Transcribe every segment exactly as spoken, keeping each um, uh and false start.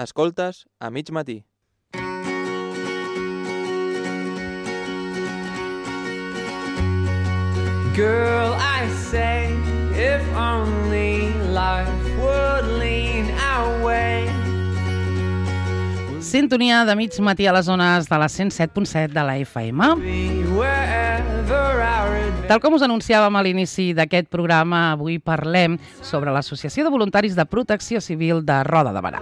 Escoltes a mig matí. Girl, I say, if only life would lean our way. Sintonia de mig matí a les zones de la cent set punt set de la F M. Tal com us anunciàvem a l'inici d'aquest programa, avui parlem sobre l'Associació de Voluntaris de Protecció Civil de Roda de Berà.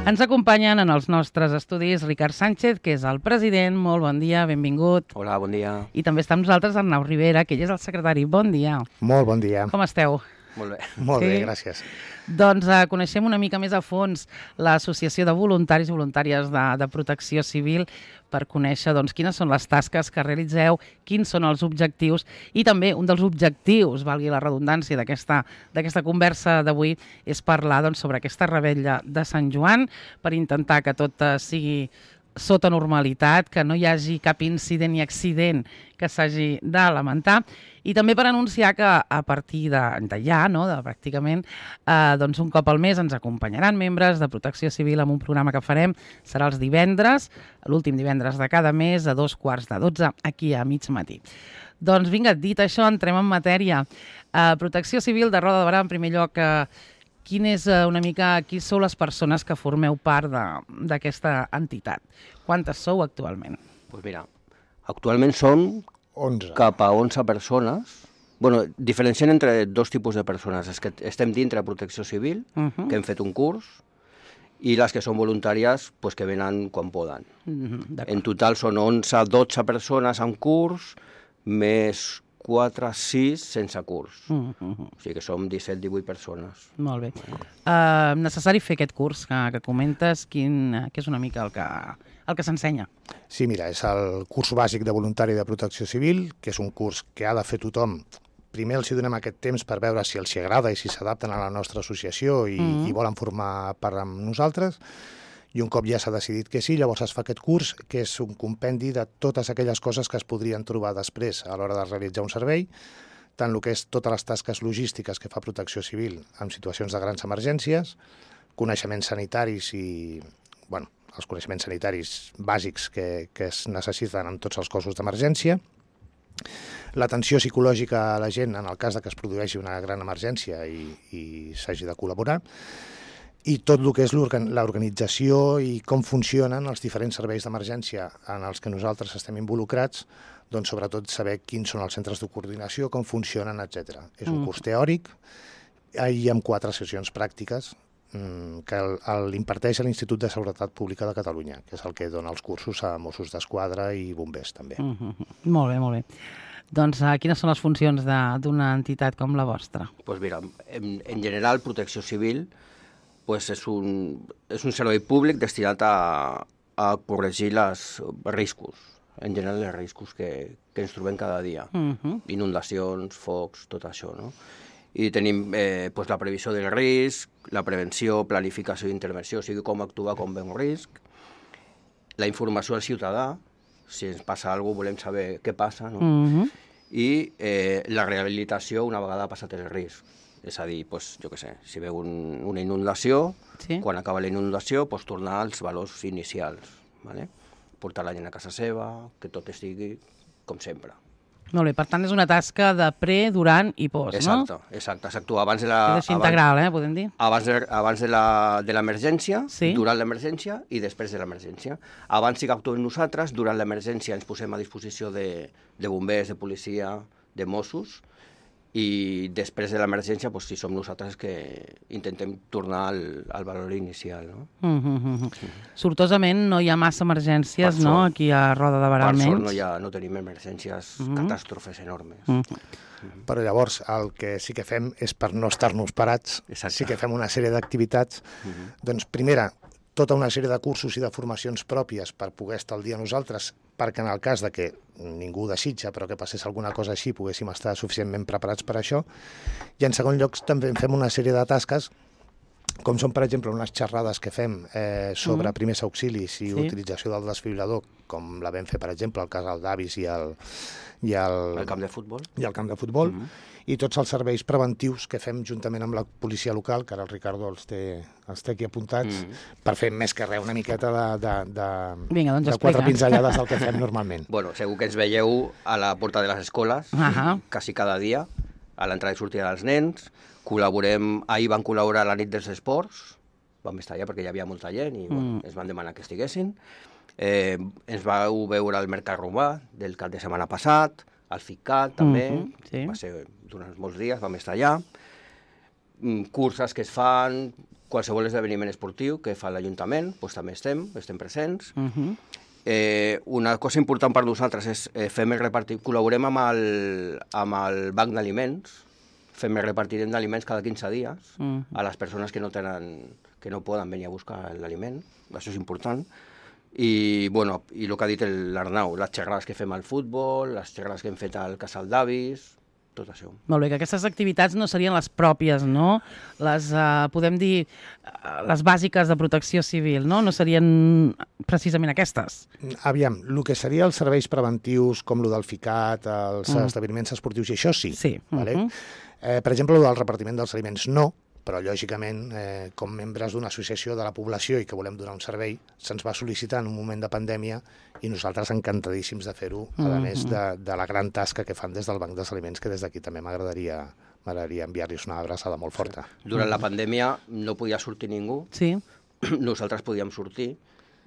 Ens acompanyen en els nostres estudis Ricard Sánchez, que és el president. Molt bon dia, benvingut. Hola, bon dia. I també està amb nosaltres Arnau Rivera, que ell és el secretari. Bon dia. Molt bon dia. Com esteu? Molt bé. Molt Sí? bé, gràcies. Doncs uh, coneixem una mica més a fons l'Associació de Voluntaris i Voluntàries de, de Protecció Civil per conèixer doncs, quines són les tasques que realitzeu, quins són els objectius i també un dels objectius, valgui la redundància d'aquesta d'aquesta conversa d'avui, és parlar doncs, sobre aquesta revetlla de Sant Joan per intentar que tot uh, sigui sota normalitat, que no hi hagi cap incident ni accident que s'hagi de lamentar, i també per anunciar que a partir de, de ja, no, de pràcticament, eh, doncs un cop al mes ens acompanyaran membres de Protecció Civil amb un programa que farem, serà els divendres, l'últim divendres de cada mes, a dos quarts de dotze, aquí a mig matí. Doncs vinga, dit això, entrem en matèria. Eh, Protecció Civil de Roda de Berà, en primer lloc, eh, Quin és una mica, qui sou les persones que formeu part d'aquesta entitat? Quantes sou actualment? Pues mira, actualment som onze. cap a onze persones. Bueno, diferenciem entre dos tipus de persones. És que estem dintre de Protecció Civil, Uh -huh. que hem fet un curs, i les que són voluntàries, pues, que venen quan poden. Uh -huh, En total són onze dotze persones en curs, més quatre sis sense curs. Uh -huh. O sigui que som disset divuit persones. Molt bé. Uh, necessari fer aquest curs que, que comentes, quin, que és una mica el que, el que s'ensenya. Sí, mira, és el curs bàsic de voluntari de protecció civil, que és un curs que ha de fer tothom. Primer els hi donem aquest temps per veure si els hi agrada i si s'adapten a la nostra associació i, Mm. i volen formar part amb nosaltres. I un cop ja s'ha decidit que sí, llavors es fa aquest curs, que és un compendi de totes aquelles coses que es podrien trobar després a l'hora de realitzar un servei, tant el que és totes les tasques logístiques que fa Protecció Civil en situacions de grans emergències, coneixements sanitaris i, bueno, els coneixements sanitaris bàsics que, que es necessiten en tots els cossos d'emergència, l'atenció psicològica a la gent en el cas de que es produeixi una gran emergència i, i s'hagi de col·laborar, i tot el que és l'organització i com funcionen els diferents serveis d'emergència en els que nosaltres estem involucrats, doncs sobretot saber quins són els centres de coordinació, com funcionen, etcètera. És un curs teòric i amb quatre sessions pràctiques que l'imparteix l'Institut de Seguretat Pública de Catalunya, que és el que dona els cursos a Mossos d'Esquadra i bombers, també. Uh -huh. Molt bé, molt bé. Doncs uh, quines són les funcions d'una entitat com la vostra? Pues mira, en, en general, Protecció Civil pues és, un, és un servei públic destinat a, a corregir els riscos, en general els riscos que, que ens trobem cada dia. Uh -huh. Inundacions, focs, tot això, no? I tenim eh, pues, la previsió del risc, la prevenció, planificació i intervenció, o sigui, com actuar quan ve un risc, la informació al ciutadà, si ens passa alguna cosa volem saber què passa, no? Uh -huh. I eh, la rehabilitació una vegada passat el risc. És a dir, pues, jo què sé, si veu un, una inundació, Sí. quan acaba la inundació, pues, tornar als valors inicials, ¿vale? Portar la gent a casa seva, que tot estigui com sempre. Molt bé, per tant és una tasca de pre, durant i post, Exacte, no? exacte. S'actua abans de la... És així integral, eh, podem dir? Abans de, abans de la- de l'emergència, Sí. durant l'emergència i després de l'emergència. Abans sí que actuem nosaltres, durant l'emergència ens posem a disposició de, de bombers, de policia, de Mossos, i després de l'emergència, doncs, si som nosaltres que intentem tornar al, al valor inicial. No? Uh -huh, uh -huh. Sortosament no hi ha massa emergències, Per no?, sort. aquí a Roda de Berà, Per almenys. sort no, hi ha, no tenim emergències, Uh -huh. catàstrofes enormes. Uh -huh. Però llavors el que sí que fem és, per no estar-nos parats, Exacte. sí que fem una sèrie d'activitats. Uh -huh. Doncs primera, tota una sèrie de cursos i de formacions pròpies per poder estar al dia nosaltres, perquè en el cas de que ningú ho desitja, però que passés alguna cosa així, poguéssim estar suficientment preparats per això. I en segon lloc també fem una sèrie de tasques com són, per exemple, unes xerrades que fem eh, sobre Mm. primers auxilis i Sí. utilització del desfibrilador, com la vam fer, per exemple, al casal d'Avis i al, i al, El camp de futbol. i al camp de futbol, Mhm. i tots els serveis preventius que fem juntament amb la policia local, que ara el Ricardo els té, els té aquí apuntats, Mhm. per fer més que res una miqueta de, de, de, Vinga, doncs de explica. quatre pinzellades del que fem normalment. Bueno, segur que ens veieu a la porta de les escoles, Ahà. quasi cada dia, a l'entrada i sortida dels nens. Col·laborem, ahir van col·laborar a la nit dels esports, vam estar allà perquè hi havia molta gent i bueno, Mm. ens van demanar que estiguessin. Eh, ens vau veure al Mercat Romà del cap de setmana passat, al FICAT també, Mhm, sí. va ser durant molts dies, vam estar allà. Mm, curses que es fan, qualsevol esdeveniment esportiu que fa l'Ajuntament, doncs també estem, estem presents. Mhm. Eh, una cosa important per nosaltres és eh, fem el repartir, col·laborem amb el, amb el banc d'aliments, fem el repartirem d'aliments cada quinze dies Mhm. a les persones que no tenen, que no poden venir a buscar l'aliment, això és important. I, bueno, i el que ha dit l'Arnau, les xerrades que fem al futbol, les xerrades que hem fet al casal d'avis, tot això. Molt bé, que aquestes activitats no serien les pròpies, no? Les, eh, podem dir, eh, les bàsiques de protecció civil, no? No serien precisament aquestes. Aviam, el que seria els serveis preventius, com el del FICAT, els Mm. esdeveniments esportius, i això sí. Sí. Vale? Mhm. Eh, per exemple, el del repartiment dels aliments no, però lògicament, eh, com membres d'una associació de la població i que volem donar un servei, se'ns va sol·licitar en un moment de pandèmia i nosaltres encantadíssims de fer-ho, a Mhm. més de, de la gran tasca que fan des del Banc dels Aliments, que des d'aquí també m'agradaria m'agradaria enviar-los una abraçada molt forta. Durant la pandèmia no podia sortir ningú, Sí. nosaltres podíem sortir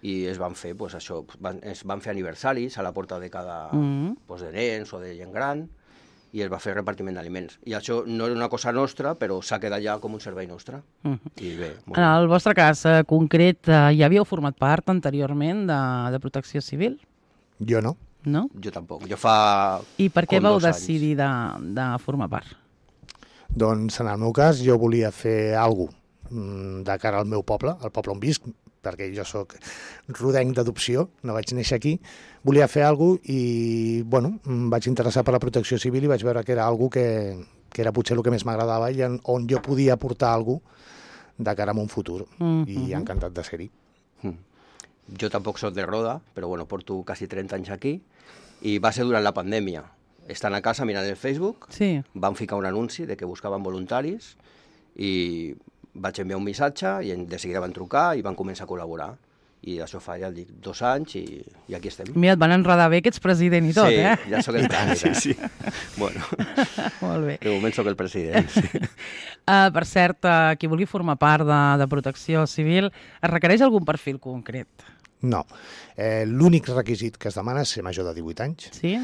i es van fer, pues, això, van, es van fer aniversaris a la porta de cada Mhm. pues, de nens o de gent gran i es va fer repartiment d'aliments. I això no era una cosa nostra, però s'ha quedat ja com un servei nostre. Mhm. I bé, molt En bé. el vostre cas eh, concret, eh, ja havíeu format part anteriorment de, de protecció civil, Jo no. no? Jo tampoc. Jo fa... I per què com vau dos anys. decidir de, de formar part? Doncs en el meu cas jo volia fer alguna cosa de cara al meu poble, al poble on visc, perquè jo sóc rodenc d'adopció, no vaig néixer aquí, volia fer alguna cosa i, bueno, em vaig interessar per la protecció civil i vaig veure que era alguna cosa que, que era potser el que més m'agradava i en, on jo podia aportar alguna cosa de cara a un futur. Mhm. I encantat de ser-hi. Mm. Jo tampoc soc de Roda, però bueno, porto quasi trenta anys aquí i va ser durant la pandèmia. Estant a casa mirant el Facebook, Sí. van ficar un anunci de que buscaven voluntaris i vaig enviar un missatge i en- de seguida van trucar i van començar a col·laborar. I això fa, ja et dic, dos anys i, i aquí estem. Mira, et van enredar bé que ets president i tot, sí, eh? ja sóc el president. Sí, sí. Bueno, Molt bé. de moment sóc el president. Sí. Uh, per cert, uh, qui vulgui formar part de, de protecció civil, es requereix algun perfil concret? No. Eh, L'únic requisit que es demana és ser major de divuit anys Sí?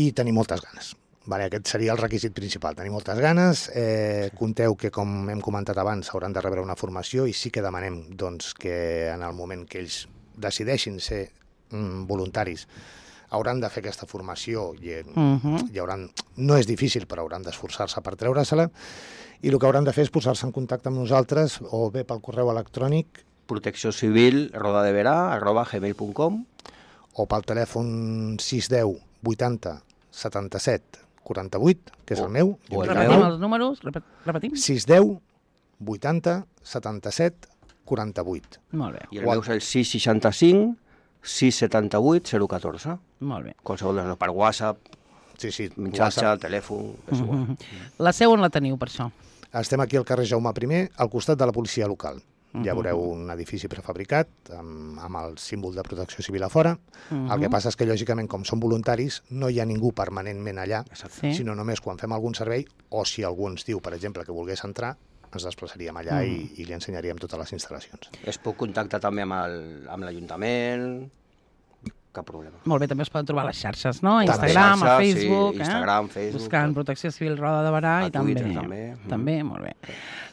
i tenir moltes ganes. Vale, aquest seria el requisit principal, tenir moltes ganes. Eh, compteu que, com hem comentat abans, hauran de rebre una formació i sí que demanem doncs, que en el moment que ells decideixin ser mm, voluntaris hauran de fer aquesta formació i, Uh -huh. i hauran, no és difícil, però hauran d'esforçar-se per treure-se-la i el que hauran de fer és posar-se en contacte amb nosaltres o bé pel correu electrònic Protecció civil, rodadeverà, arroba gmail punt com. o pel telèfon sis deu vuitanta setanta-set quaranta-vuit, que és O- el meu. o el Repetim meu. els números? Repet, repetim? sis deu vuitanta setanta-set quaranta-vuit. Molt bé, I el meu és el sis seixanta-cinc sis setanta-vuit zero catorze. molt bé. Qualsevol de per WhatsApp, Sí, sí. missatge, WhatsApp. telèfon, és igual. Uh -huh. La seu on la teniu, per això? Estem aquí al carrer Jaume primer, al costat de la policia local. Ja veureu un edifici prefabricat amb, amb el símbol de protecció civil a fora. Uh El que passa és que, lògicament, com som voluntaris, no hi ha ningú permanentment allà, Sí. sinó només quan fem algun servei o si algú ens diu, per exemple, que volgués entrar, ens desplaçaríem allà Mm. i, i li ensenyaríem totes les instal·lacions. Es pot contactar també amb el- amb l'Ajuntament, cap problema. Molt bé, també es poden trobar a les xarxes, no? A També. Instagram, a Xarxes, sí, Facebook, Instagram, eh? Facebook, Buscant tot. Protecció Civil Roda de Barà A i també. Twitter, també. Mhm. També, molt bé.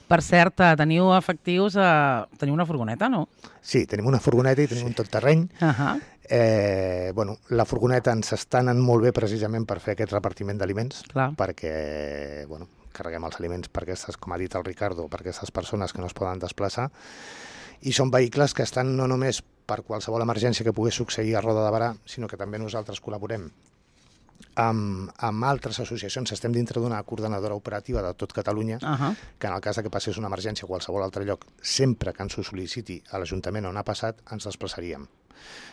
Per cert, eh, teniu efectius, eh, teniu una furgoneta, no? Sí, tenim una furgoneta i tenim un tot terreny. Uh -huh. Eh, bueno, la furgoneta ens està anant molt bé precisament per fer aquest repartiment d'aliments, Clar. perquè bueno, carreguem els aliments per aquestes, com ha dit el Ricardo, per aquestes persones que no es poden desplaçar, i són vehicles que estan no només per qualsevol emergència que pogués succeir a Roda de Barà, sinó que també nosaltres col·laborem Amb, amb altres associacions estem dintre d'una coordinadora operativa de tot Catalunya, Uh -huh. que en el cas de que passés una emergència a qualsevol altre lloc, sempre que ens ho sol·liciti a l'Ajuntament on ha passat, ens desplaçaríem.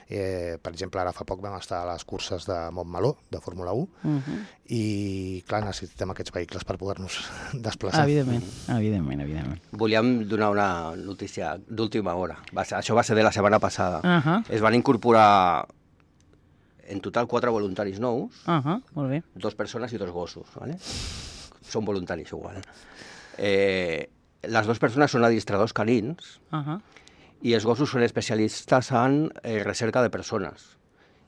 Eh, per exemple, ara fa poc vam estar a les curses de Montmeló, de Fórmula u, Uh -huh. i, clar, necessitem aquests vehicles per poder-nos desplaçar. Evidentment, evidentment, evidentment. Volíem donar una notícia d'última hora. Va ser, això va ser de la setmana passada. Uh -huh. Es van incorporar en total quatre voluntaris nous, Uh -huh. Molt bé. dos persones i dos gossos, ¿vale? Són voluntaris igual. Eh, les dues persones són adistradors canins Uh -huh. i els gossos són especialistes en eh, recerca de persones.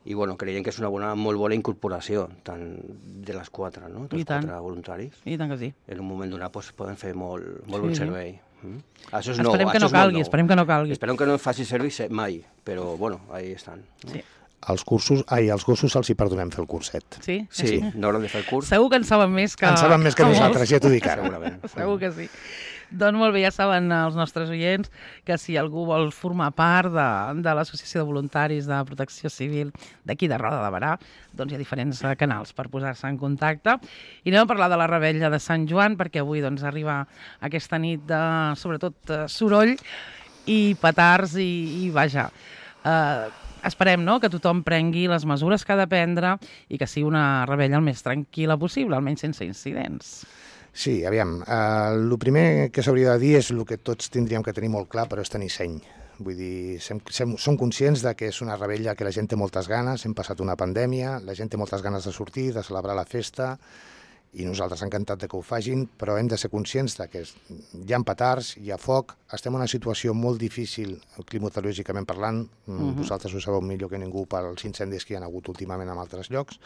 I bueno, creiem que és una bona, molt bona incorporació, tant de les quatre, no? Dels I tant. quatre voluntaris. I tant que sí. En un moment donat pues, poden fer molt, molt Sí, bon sí. servei. Mm? Això és nou, Esperem que això no és molt calgui, nou. esperem que no calgui. Esperem que no faci servei se- mai, però bueno, ahí estan. No? Sí. Els cursos, ai, als gossos els hi perdonem fer el curset. Sí? Sí, no hauran de fer el curs. Segur que en saben més que... En saben més que molts. nosaltres, ja t'ho dic ara. Segurament. Segur que sí. Doncs molt bé, ja saben els nostres oients que si algú vol formar part de, de l'Associació de Voluntaris de Protecció Civil d'aquí de Roda de Barà, doncs hi ha diferents eh, canals per posar-se en contacte. I anem a parlar de la Rebella de Sant Joan, perquè avui doncs, arriba aquesta nit de, sobretot, eh, soroll i petards i, i vaja... Eh, Esperem, no?, que tothom prengui les mesures que ha de prendre i que sigui una rebella el més tranquil·la possible, almenys sense incidents. Sí, aviam, eh, el primer que s'hauria de dir és el que tots tindríem que tenir molt clar, però és tenir seny. Vull dir, sem, sem, som conscients de que és una rebella que la gent té moltes ganes, hem passat una pandèmia, la gent té moltes ganes de sortir, de celebrar la festa, i nosaltres encantat de que ho facin, però hem de ser conscients de que hi ha petards, hi ha foc, estem en una situació molt difícil climatològicament parlant, uh -huh. vosaltres ho sabeu millor que ningú pels incendis que hi ha hagut últimament en altres llocs,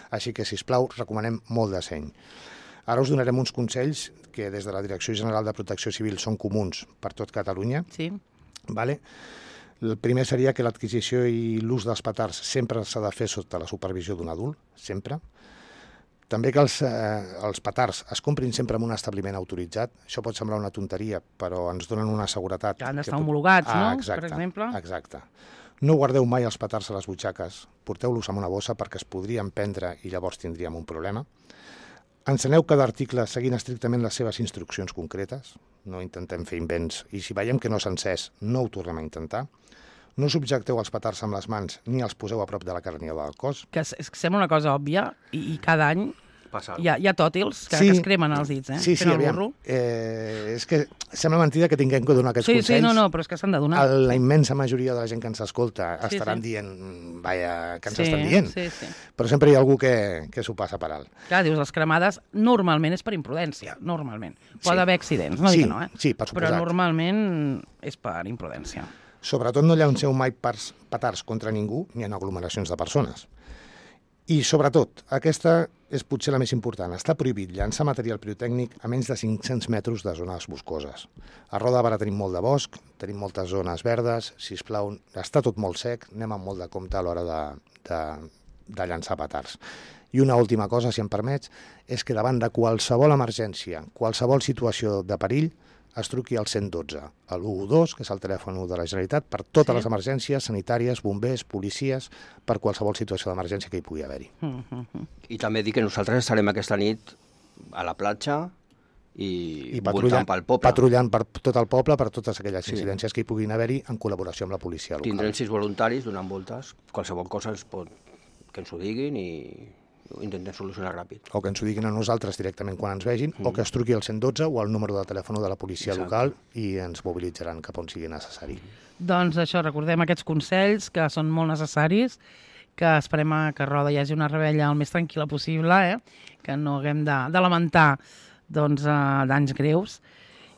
així que, sisplau, recomanem molt de seny. Ara us donarem uns consells que des de la Direcció General de Protecció Civil són comuns per tot Catalunya. Sí? Vale? El primer seria que l'adquisició i l'ús dels petards sempre s'ha de fer sota la supervisió d'un adult, sempre. També que els, eh, els petards es comprin sempre en un establiment autoritzat. Això pot semblar una tonteria, però ens donen una seguretat. Que han d'estar tu- homologats, ah, no?, exacte, per exemple. Exacte. No guardeu mai els petards a les butxaques, porteu-los en una bossa perquè es podrien prendre i llavors tindríem un problema. Enceneu cada article seguint estrictament les seves instruccions concretes, no intentem fer invents, i si veiem que no s'ha encès, no ho tornem a intentar. No subjecteu els petards amb les mans ni els poseu a prop de la carniola del cos. Que és, és que sembla una cosa òbvia i, i cada any Passa hi ha, hi ha tòtils que, Sí. que es cremen els dits, eh? Sí, sí, Fent el aviam. burro. Eh, és que sembla mentida que tinguem que donar aquests Sí, consells. sí, no, no, però és que s'han de donar. El- La immensa majoria de la gent que ens escolta Sí, estaran sí. dient, vaja, que ens sí, estan dient. Sí, sí. Però sempre hi ha algú que, que s'ho passa per alt. Clar, dius, les cremades normalment és per imprudència, normalment. Pot Sí. haver accidents, no Sí, dic que no, eh? sí, per Però suposat. normalment és per imprudència. Sobretot no llanceu mai pars, petards contra ningú ni en aglomeracions de persones. I, sobretot, aquesta és potser la més important. Està prohibit llançar material pirotècnic a menys de cinc-cents metres de zones boscoses. A Roda de Barà tenim molt de bosc, tenim moltes zones verdes, sisplau, està tot molt sec, anem amb molt de compte a l'hora de, de, de llançar petards. I una última cosa, si em permets, és que davant de qualsevol emergència, qualsevol situació de perill, es truqui al cent i dotze, a l'u dos, que és el telèfon de la Generalitat, per totes Sí. les emergències sanitàries, bombers, policies, per qualsevol situació d'emergència que hi pugui haver-hi. Mm -hmm. I també dir que nosaltres estarem aquesta nit a la platja i, I voltant patrullant, pel poble. patrullant per tot el poble, per totes aquelles Sí. incidències que hi puguin haver-hi, en col·laboració amb la policia local. Tindrem sis voluntaris donant voltes. Qualsevol cosa ens pot... que ens ho diguin i ho intentem solucionar ràpid. O que ens ho diguin a nosaltres directament quan ens vegin, mm. o que es truqui al cent i dotze o al número de telèfon de la policia Exacte. local i ens mobilitzaran cap on sigui necessari. Doncs això, recordem aquests consells que són molt necessaris, que esperem a que a Roda hi hagi una rebella el més tranquil·la possible, eh? Que no haguem de, de lamentar doncs, uh, danys greus.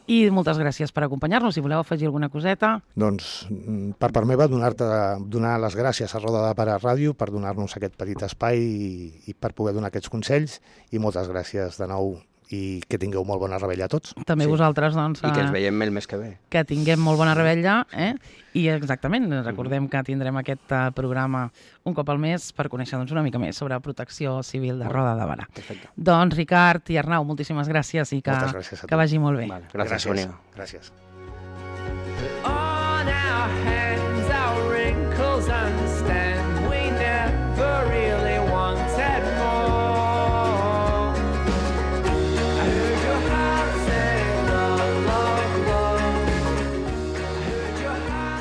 I moltes gràcies per acompanyar-nos. Si voleu afegir alguna coseta... Doncs, mm, per part meva, donar-te donar les gràcies a Roda de Barà Ràdio per donar-nos aquest petit espai i, i per poder donar aquests consells, i moltes gràcies de nou i que tingueu molt bona rebella a tots. També Sí. vosaltres, doncs, I que ens eh, veiem el mes que ve. que tinguem molt bona rebella, eh? I exactament, recordem que tindrem aquest uh, programa un cop al mes per conèixer doncs, una mica més sobre protecció civil de Roda de Barà. Perfecte. Doncs Ricard i Arnau, moltíssimes gràcies i que, Moltes gràcies a que tu. vagi molt bé. Vale. Gràcies, Sònia. Gràcies. On our hands.